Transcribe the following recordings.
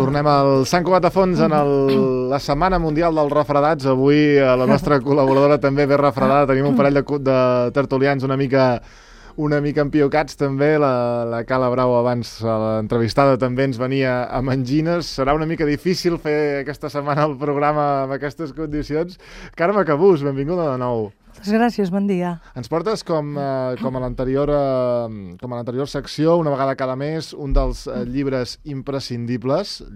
Tornem al Sant Cugat de Fons en la Setmana Mundial dels Refredats. Avui la nostra col·laboradora també ve refredada. Tenim un parell de tertulians una mica empiocats també. La Cala Brau abans l'entrevistada també ens venia amb angines. Serà una mica difícil fer aquesta setmana el programa amb aquestes condicions. Carme Cabús, benvinguda de nou. Moltes gràcies, bon dia. Ens portes com a l'anterior secció, una vegada cada mes, un dels llibres imprescindibles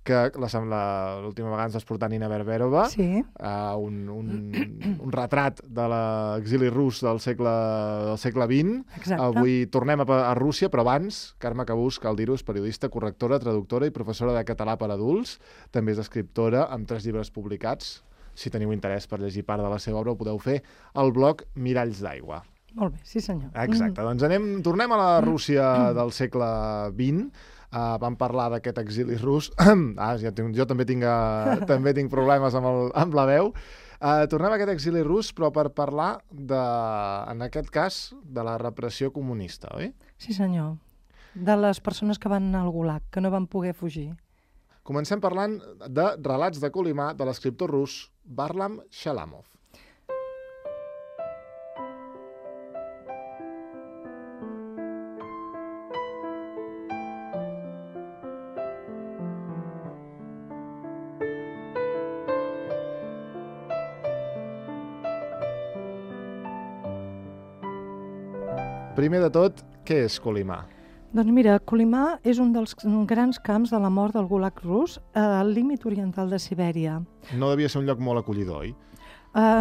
que l'última vegada ens vas portar Nina Verberova, sí. Un retrat de l'exili rus del segle XX. Exacte. Avui tornem a Rússia, però abans, Carme Cabús, cal dir-ho, és periodista, correctora, traductora i professora de català per adults. També és escriptora amb 3 llibres publicats. Si teniu interès per llegir part de la seva obra, ho podeu fer al blog Miralls d'Aigua. Molt bé, sí senyor. Exacte, doncs tornem a la Rússia del segle XX. Vam parlar d'aquest exili rus. Jo també tinc problemes amb la veu. Tornem a aquest exili rus, però per parlar, en aquest cas, de la repressió comunista, oi? Sí senyor, de les persones que van al Gulag, que no van poder fugir. Comencem parlant de Relats de Kolimà, de l'escriptor rus Varlam Shalamov. Primer de tot, què és Kolimà? Doncs mira, Kolimà és un dels grans camps de la mort del Gulag rus al límit oriental de Sibèria. No devia ser un lloc molt acollidor, oi?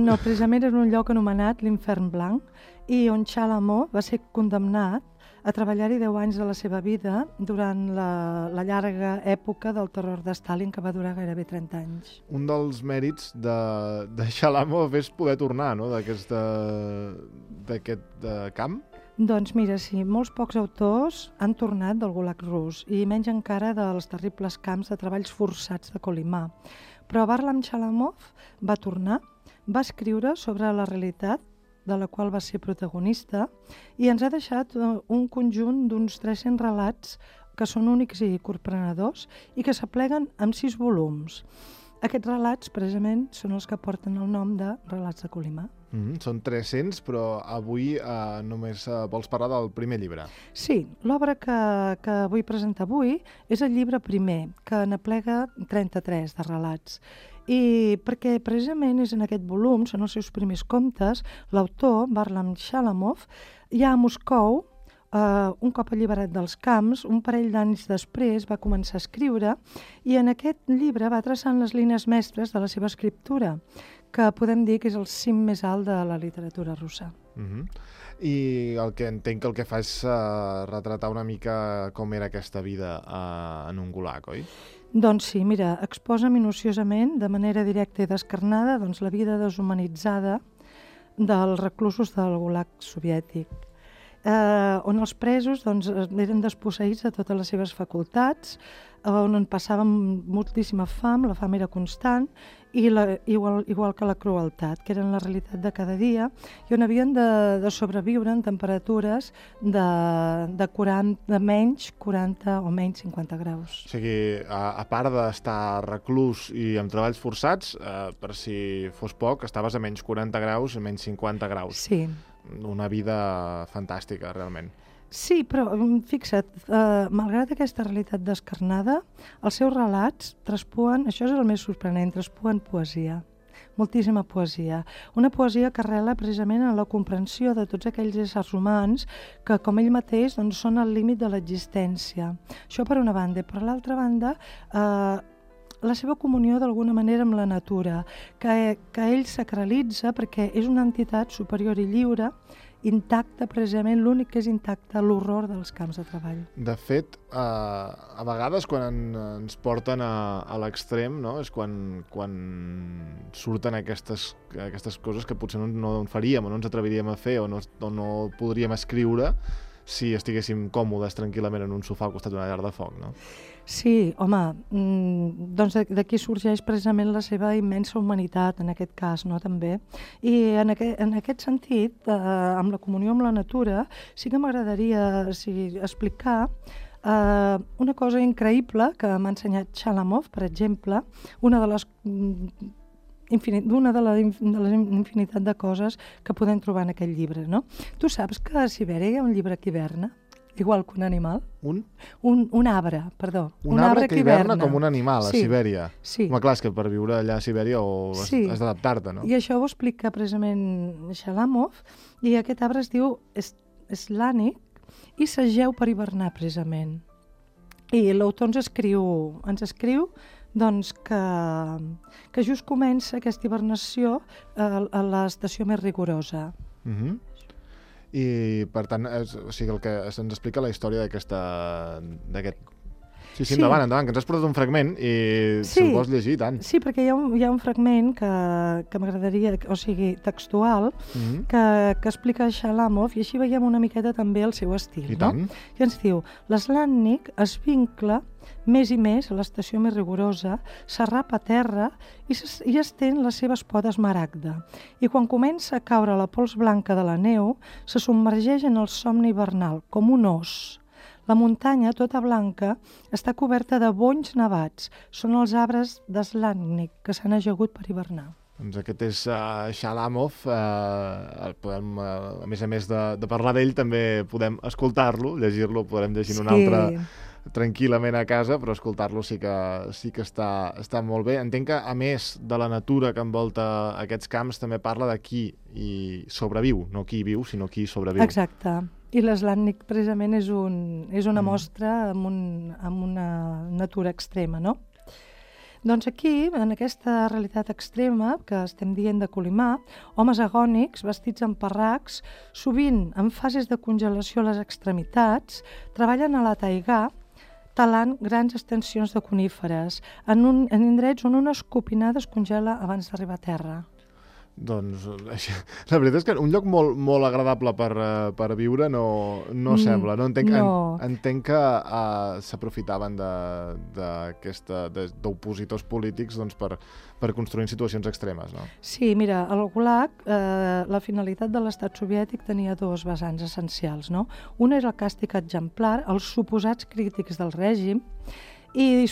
No, precisament era un lloc anomenat l'Infern Blanc i on Shalamov va ser condemnat a treballar-hi 10 anys de la seva vida durant la llarga època del terror de Stalin, que va durar gairebé 30 anys. Un dels mèrits de Shalamov és poder tornar, no?, d'aquest camp? Doncs mira, sí, molts pocs autors han tornat del Gulag rus i menys encara dels terribles camps de treballs forçats de Kolimà. Però Varlam Shalamov va tornar, va escriure sobre la realitat de la qual va ser protagonista i ens ha deixat un conjunt d'uns 300 relats que són únics i corprenedors i que s'apleguen en 6 volums. Aquests relats, precisament, són els que porten el nom de Relats de Kolimà. Són 300, però avui només vols parlar del primer llibre. Sí, l'obra que vull presentar avui és el llibre primer, que n'aplega 33 de relats. I perquè precisament és en aquest volum, són els seus primers contes, l'autor, Varlam Shalamov, ja a Moscou, un cop alliberat dels camps, un parell d'anys després va començar a escriure i en aquest llibre va traçant les línies mestres de la seva escriptura, que podem dir que és el cim més alt de la literatura russa. I el que entenc que el que fa és retratar una mica com era aquesta vida en un gulag, oi? Doncs sí, mira, exposa minuciosament, de manera directa i descarnada, doncs, la vida deshumanitzada dels reclusos del gulag soviètic, on els presos eren desposseïts de totes les seves facultats, on en passaven moltíssima fam, la fam era constant, i igual que la crueltat, que eren la realitat de cada dia, i on havien de sobreviure en temperatures de menys 40 o menys 50 graus. O sigui, a part d'estar reclús i amb treballs forçats, per si fos poc, estaves a menys 40 graus, a menys 50 graus. Sí. Una vida fantàstica, realment. Sí, però fixa't, malgrat aquesta realitat descarnada, els seus relats traspuen, això és el més sorprenent, traspuen poesia, moltíssima poesia. Una poesia que arrela precisament en la comprensió de tots aquells éssers humans que, com ell mateix, doncs, són al límit de l'existència. Això per una banda. Per l'altra banda, la seva comunió d'alguna manera amb la natura, que ell sacralitza perquè és una entitat superior i lliure, intacte, precisament l'únic que és intacte, l'horror dels camps de treball. De fet, a vegades quan ens porten a l'extrem, no? És quan surten aquestes coses que potser no en faríem o no ens atreviríem a fer o no podríem escriure si estiguéssim còmodes tranquil·lament en un sofà al costat d'una llar de foc, no? Sí, home, doncs d'aquí sorgeix precisament la seva immensa humanitat, en aquest cas, no, també. I en aquest sentit, amb la comunió amb la natura, sí que m'agradaria explicar Una cosa increïble que m'ha ensenyat Shalamov, per exemple, una de les infinitat de coses que podem trobar en aquest llibre, no? Tu saps que a Sibèria hi ha un llibre que hiverna, igual que un animal? Un arbre, perdó. Un arbre que hiverna com un animal a Sibèria. Sí. Home, clar, és que per viure allà a Sibèria has d'adaptar-te, no? I això ho explica precisament Shalamov, i aquest arbre es diu Slànic i s'ageu per hivernar, precisament. I l'autor ens escriu doncs que just comença aquesta hibernació a l'estació més rigorosa. I, per tant, o sigui, el que se'ns explica la història d'aquest... Sí, endavant, que ens has portat un fragment i si el vols llegir, tant. Sí, perquè hi ha un fragment que m'agradaria, o sigui, textual, que explica Shalamov, i així veiem una miqueta també el seu estil. I tant. I ens diu, l'Slànic es vincla més i més a l'estació més rigorosa, s'arrapa a terra i estén les seves potes maragda. I quan comença a caure la pols blanca de la neu, se submergeix en el somni hivernal, com un os. La muntanya, tota blanca, està coberta de bonys nevats. Són els arbres d'Slànic que s'han ajagut per hivernar. Doncs aquest és Shalamov. A més a més de parlar d'ell, també podem escoltar-lo, llegir-lo, podrem llegir un altre tranquil·lament a casa, però escoltar-lo sí que està molt bé. Entenc que, a més de la natura que envolta aquests camps, també parla de qui hi sobreviu, no qui hi viu, sinó qui hi sobreviu. Exacte. I l'Slànic, precisament, és una mostra amb una natura extrema, no? Doncs aquí, en aquesta realitat extrema que estem dient de Kolyma, homes agònics, vestits amb parracs, sovint en fases de congelació a les extremitats, treballen a la taigà, talant grans extensions de coníferes, en indrets on una escopinada es congela abans d'arribar a terra. Doncs la veritat és que un lloc molt, molt agradable per viure no sembla. No? Entenc que s'aprofitaven d'opositors polítics doncs, per construir situacions extremes. No? Sí, mira, al Gulag la finalitat de l'estat soviètic tenia dos vessants essencials. No? Un era el càstig exemplar, els suposats crítics del règim, i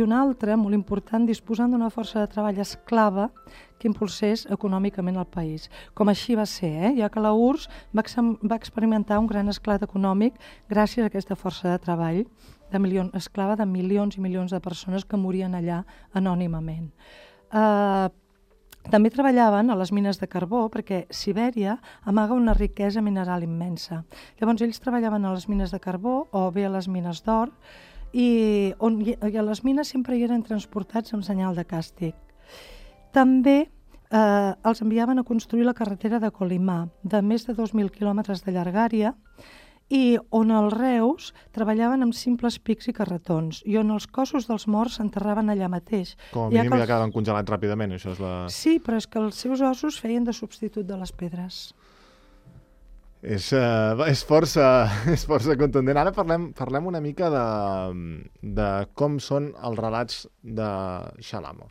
un altre, molt important, disposant d'una força de treball esclava que impulsés econòmicament el país. Com així va ser, ja que la URSS va experimentar un gran esclat econòmic gràcies a aquesta força de treball esclava de milions i milions de persones que morien allà anònimament. També treballaven a les mines de carbó perquè Sibèria amaga una riquesa mineral immensa. Llavors ells treballaven a les mines de carbó o bé a les mines d'or, i a les mines sempre hi eren transportats amb senyal de càstig. També els enviaven a construir la carretera de Kolyma, de més de 2.000 quilòmetres de llargària, i on els reus treballaven amb simples pics i carretons, i on els cossos dels morts s'enterraven allà mateix. Com a mínim ja quedaven congelats ràpidament, això és la... Sí, però és que els seus ossos feien de substitut de les pedres. És força contundent. Ara parlem una mica de com són els relats de Shalamov.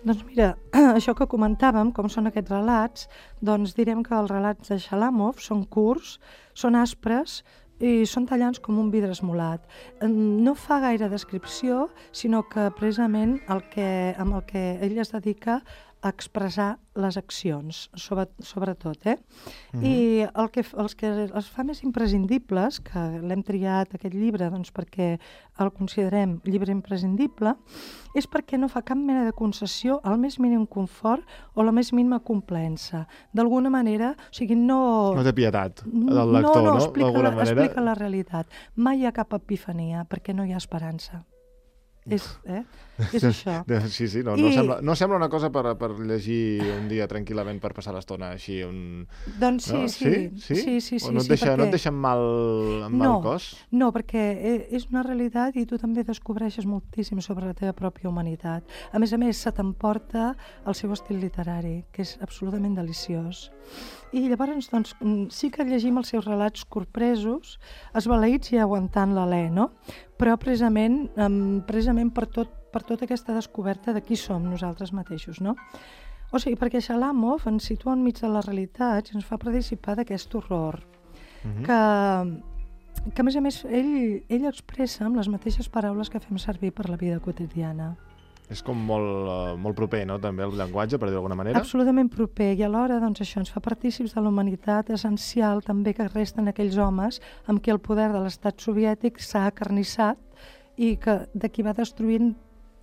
Doncs mira, això que comentàvem, com són aquests relats, doncs direm que els relats de Shalamov són curts, són aspres i són tallants com un vidre esmolat. No fa gaire descripció, sinó que precisament amb el que ell es dedica a expressar les accions, sobretot. I els que els fa més imprescindibles, que l'hem triat aquest llibre doncs, perquè el considerem llibre imprescindible, és perquè no fa cap mena de concessió al més mínim confort o la més mínima complaença. D'alguna manera, o sigui, no... No té pietat del lector, no? Explica la realitat. Mai hi ha cap epifania, perquè no hi ha esperança. És això. Sí, no sembla una cosa per llegir un dia tranquil·lament per passar l'estona així. Doncs sí. O no et deixa amb mal cos? No, perquè és una realitat i tu també descobreixes moltíssim sobre la teva pròpia humanitat. A més, se t'emporta el seu estil literari, que és absolutament deliciós. I llavors, doncs, sí que llegim els seus relats corpresos, esbalaïts i aguantant l'alè, no? Però precisament per tota aquesta descoberta de qui som nosaltres mateixos, no? O sigui, perquè Shalamov ens situa enmig de la realitat i ens fa participar d'aquest horror, que a més, ell expressa amb les mateixes paraules que fem servir per la vida quotidiana. És com molt proper, no?, també, el llenguatge, per dir d'alguna manera? Absolutament proper, i alhora doncs, això ens fa partícips de la humanitat essencial també que resten aquells homes amb qui el poder de l'estat soviètic s'ha acarnissat i de qui va destruint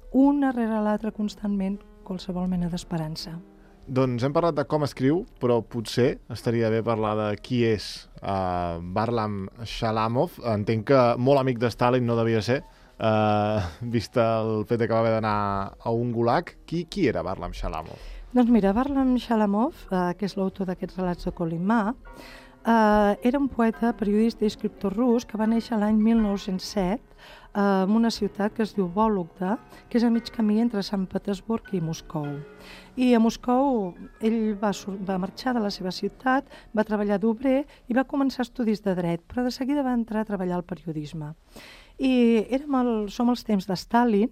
una rere l'altra constantment qualsevol mena d'esperança. Doncs hem parlat de com escriu, però potser estaria bé parlar de qui és Varlam Shalamov. Entenc que molt amic de Stalin no devia ser, vist el fet que va haver d'anar a un gulag. Qui era Varlam Shalamov? Doncs mira, Varlam Shalamov, que és l'autor d'aquests relats de Kolyma, era un poeta, periodista i escriptor rus que va néixer l'any 1907 en una ciutat que es diu Vologda, que és a mig camí entre Sant Petersburg i Moscou. I a Moscou ell va marxar de la seva ciutat, va treballar d'obrer i va començar estudis de dret, però de seguida va entrar a treballar al periodisme. I som els temps de Stalin,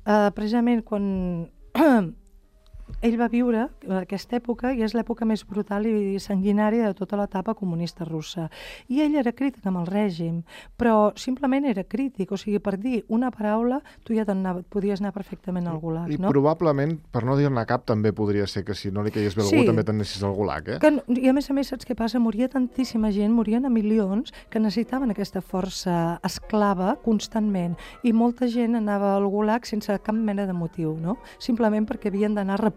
precisament quan ell va viure aquesta època i és l'època més brutal i sanguinària de tota l'etapa comunista russa. I ell era crític amb el règim, però simplement era crític, o sigui, per dir una paraula tu ja podies anar perfectament al gulag, no? I probablement, per no dir-ne cap, també podria ser que si no li queies bé algú també t'anessis al gulag, eh? I a més, saps què passa? Moria tantíssima gent, morien a milions, que necessitaven aquesta força esclava constantment, i molta gent anava al gulag sense cap mena de motiu, no? Simplement perquè havien d'anar reposant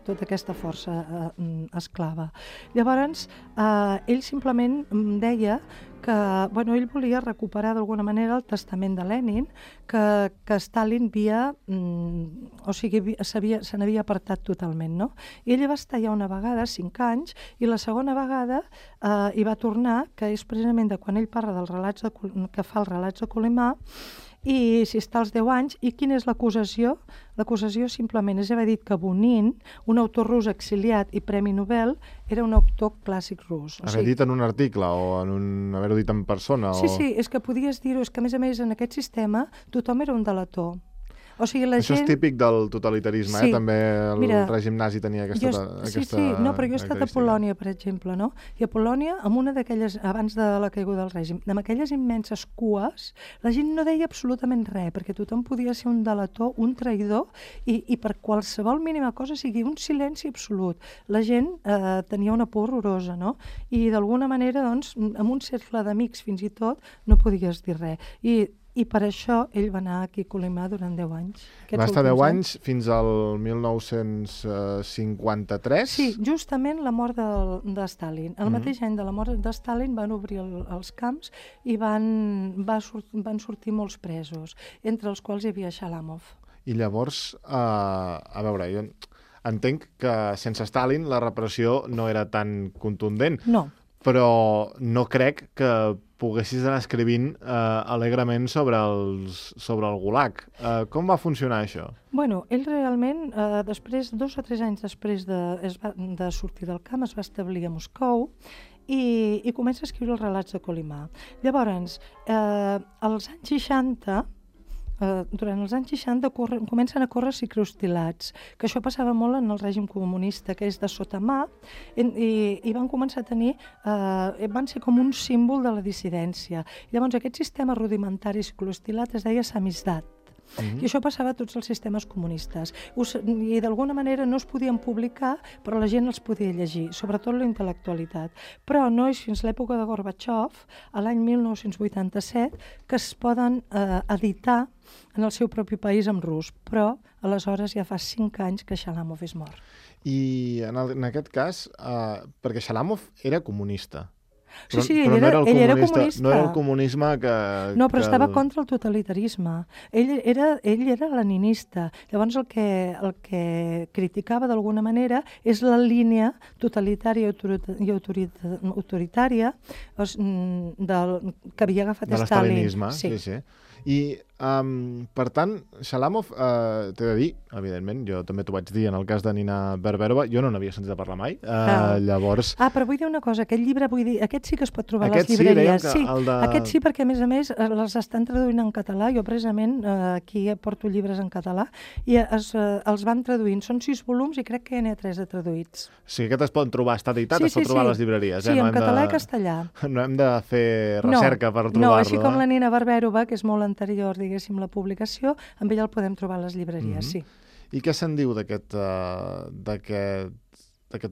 tota aquesta força esclava. Llavors, ell simplement deia que ell volia recuperar d'alguna manera el testament de Lenin, que Stalin se n'havia apartat totalment, no? I ell va estar ja una vegada, 5 anys, i la segona vegada hi va tornar, que és precisament de quan ell parla dels relats que fa els relats de Kolyma, i si està als 10 anys. I quina és l'acusació? L'acusació simplement és haver dit que Bunin, un autor rus exiliat i Premi Nobel, era un autor clàssic rus. Haver dit en un article o haver-ho dit en persona? Sí, és que podies dir-ho, és que a més en aquest sistema tothom era un delator. O sigui, Això és típic del totalitarisme, també el règim nazi tenia aquesta no, però jo he estat a Polònia, per exemple, no? I a Polònia, amb una d'aquelles, abans de la caiguda del règim, amb aquelles immenses cues, la gent no deia absolutament res, perquè tothom podia ser un delator, un traïdor, i per qualsevol mínima cosa sigui un silenci absolut. La gent tenia una por horrorosa, no? I d'alguna manera, doncs, amb un cercle d'amics fins i tot, no podies dir res. I per això ell va anar aquí a Kolyma durant 10 anys. Va estar 10 anys fins al 1953? Sí, justament la mort de Stalin. El mateix any de la mort de Stalin van obrir els camps i van sortir molts presos, entre els quals hi havia Shalamov. I llavors, a veure, jo entenc que sense Stalin la repressió no era tan contundent. No. Però no crec que poguessis anar escrivint alegrement sobre el gulag. Com va funcionar això? Bueno, ell realment, després, 2 o 3 anys després de sortir del camp, es va establir a Moscou i comença a escriure els relats de Kolyma. Llavors, als anys 60, durant els anys 60 comencen a córrer ciclostilats, que això passava molt en el règim comunista, que és de sota mà, i van començar a tenir, van ser com un símbol de la dissidència. Llavors aquest sistema rudimentari ciclostilat es deia samizdat. I això passava a tots els sistemes comunistes. I d'alguna manera no es podien publicar, però la gent els podia llegir, sobretot la intel·lectualitat. Però no és fins l'època de Gorbachev, a l'any 1987, que es poden editar en el seu propi país en rus. Però aleshores ja fa 5 anys que Shalamov és mort. I en aquest cas, perquè Shalamov era comunista. Sí, però ell era comunista. No era el comunisme que... No, però estava contra el totalitarisme. Ell era leninista. Llavors el que criticava d'alguna manera és la línia totalitària i autoritària que havia agafat de Stalin. l'estalinisme, sí. I, per tant, Shalamov, t'he de dir, evidentment, jo també t'ho vaig dir en el cas de Nina Berberova, jo no n'havia sentit a parlar mai, llavors... però vull dir una cosa, aquest llibre, aquest sí que es pot trobar a les llibreries. Sí, aquest sí, perquè a més les estan traduint en català, jo precisament aquí porto llibres en català, i els van traduint, són 6 volums i crec que n'hi ha 3 de traduïts. Sí, aquest es poden trobar, està editat, es pot trobar a les llibreries. Sí, en català i castellà. No hem de fer recerca per trobar-lo. No, així com la Nina Berberova, que és molt anterior, diguéssim, la publicació, amb ella el podem trobar a les llibreries, sí. I què se'n diu d'aquest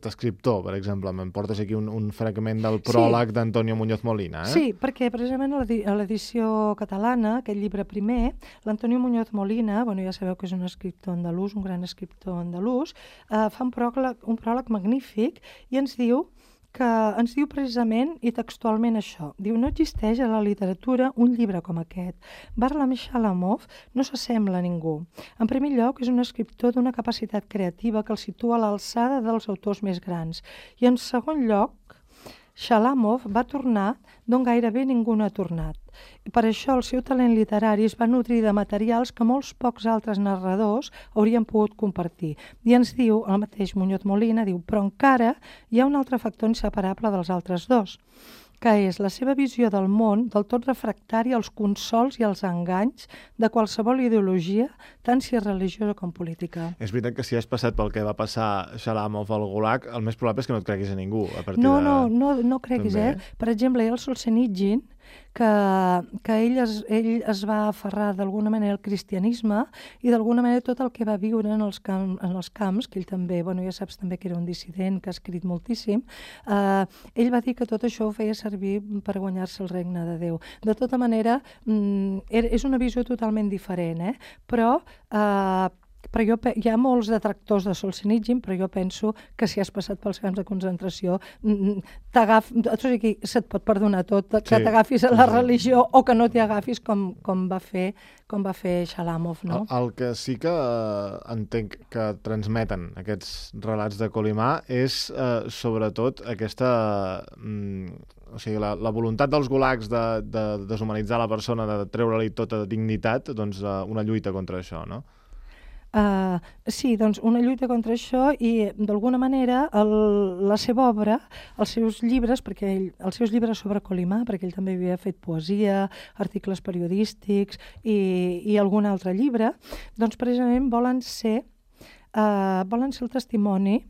escriptor, per exemple? Me'n portes aquí un fragment del pròleg d'Antonio Muñoz Molina, Sí, perquè precisament a l'edició catalana, aquest llibre primer, l'Antonio Muñoz Molina, ja sabeu que és un escriptor andalús, un gran escriptor andalús, fa un pròleg magnífic i ens diu precisament i textualment això. Diu, no existeix a la literatura un llibre com aquest. Varlam Shalamov no s'assembla a ningú. En primer lloc, és un escriptor d'una capacitat creativa que el situa a l'alçada dels autors més grans. I en segon lloc, Shalamov va tornar d'on gairebé ningú no ha tornat. Per això el seu talent literari es va nodrir de materials que molts pocs altres narradors haurien pogut compartir. I ens diu, el mateix Muñoz Molina, diu, però encara hi ha un altre factor inseparable dels altres dos, que és la seva visió del món del tot refractari als consols i als enganys de qualsevol ideologia, tant si és religiosa com política. És veritat que si has passat pel que va passar Shalamov al Gulag, el més probable és que no et creguis a ningú. No creguis, Per exemple, el Solzhenitsyn, que ell es va aferrar d'alguna manera al cristianisme i d'alguna manera tot el que va viure en els camps, que ell també, ja saps també que era un dissident, que ha escrit moltíssim, ell va dir que tot això ho feia servir per guanyar-se el regne de Déu. De tota manera, és una visió totalment diferent, però hi ha molts detractors de Solzhenitsyn, però jo penso que si has passat pels camps de concentració se't pot perdonar tot, que t'agafis a la religió o que no t'hi agafis com va fer Shalamov, no? El que sí que entenc que transmeten aquests relats de Kolyma és sobretot aquesta... O sigui, la voluntat dels gulags de deshumanitzar la persona, de treure-li tota dignitat, doncs una lluita contra això, no? Sí, doncs una lluita contra això i d'alguna manera la seva obra, els seus llibres, els seus llibres sobre Kolyma, perquè ell també havia fet poesia, articles periodístics i algun altre llibre, doncs precisament volen ser el testimoni,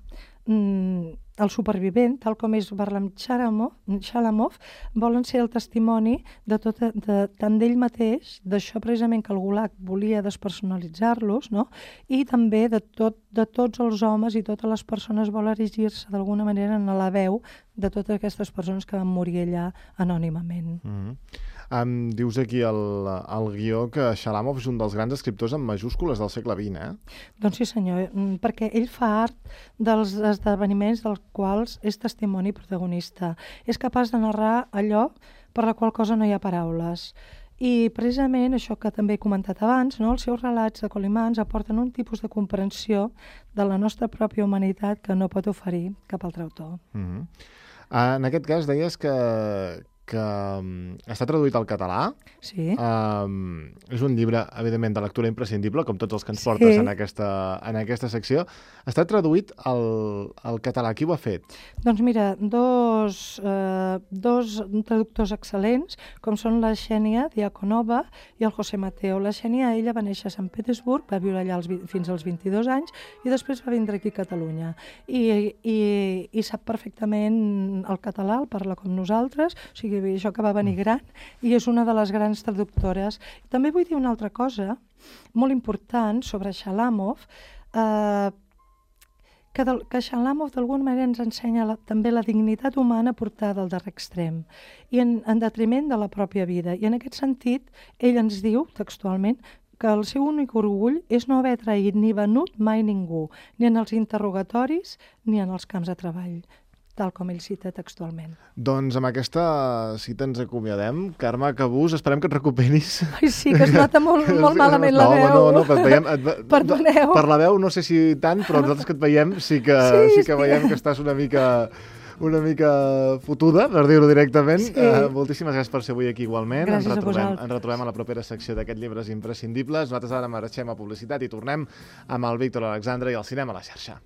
el supervivent, tal com és Varlam Shalamov, volen ser el testimoni tant d'ell mateix, d'això precisament que el Gulag volia despersonalitzar-los, no? I també de tots els homes i totes les persones vol erigir-se d'alguna manera en la veu de totes aquestes persones que van morir allà anònimament. Dius aquí al guió que Shalamov és un dels grans escriptors en majúscules del segle XX, Doncs sí, senyor, perquè ell fa art dels esdeveniments dels quals és testimoni protagonista. És capaç de narrar allò per la qual cosa no hi ha paraules. I precisament això que també he comentat abans, no? Els seus relats de Kolyma ens aporten un tipus de comprensió de la nostra pròpia humanitat que no pot oferir cap altre autor. En aquest cas deies que està traduït al català. Sí. És un llibre, evidentment, de lectura imprescindible, com tots els que ens portes en aquesta secció. Està traduït al català. Qui ho ha fet? Doncs mira, dos traductors excel·lents, com són la Xènia Diakonova i el José Mateo. La Xènia, ella va néixer a Sant Petersburg, va viure allà fins als 22 anys i després va vindre aquí a Catalunya. I sap perfectament el català, el parla com nosaltres, o sigui, això que va venir gran, i és una de les grans traductores. També vull dir una altra cosa molt important sobre Shalamov, que Shalamov d'alguna manera ens ensenya també la dignitat humana portada al darrer extrem i en detriment de la pròpia vida. I en aquest sentit, ell ens diu textualment que el seu únic orgull és no haver traït ni venut mai ningú, ni en els interrogatoris ni en els camps de treball. tal com ell cita textualment. Doncs amb aquesta cita ens acomiadem. Carme Cabús, esperem que et recuperis. Ai, sí, que es nota molt malament la veu. No, però et veiem... Perdoneu. Per la veu no sé si tant, però nosaltres que et veiem sí que veiem que estàs una mica fotuda, per dir-ho directament. Sí. Moltíssimes gràcies per ser avui aquí igualment. Gràcies a vosaltres. Ens retrobem a la propera secció d'aquests llibres imprescindibles. Nosaltres ara marxem a publicitat i tornem amb el Víctor Alexandre i el cinema a la xarxa.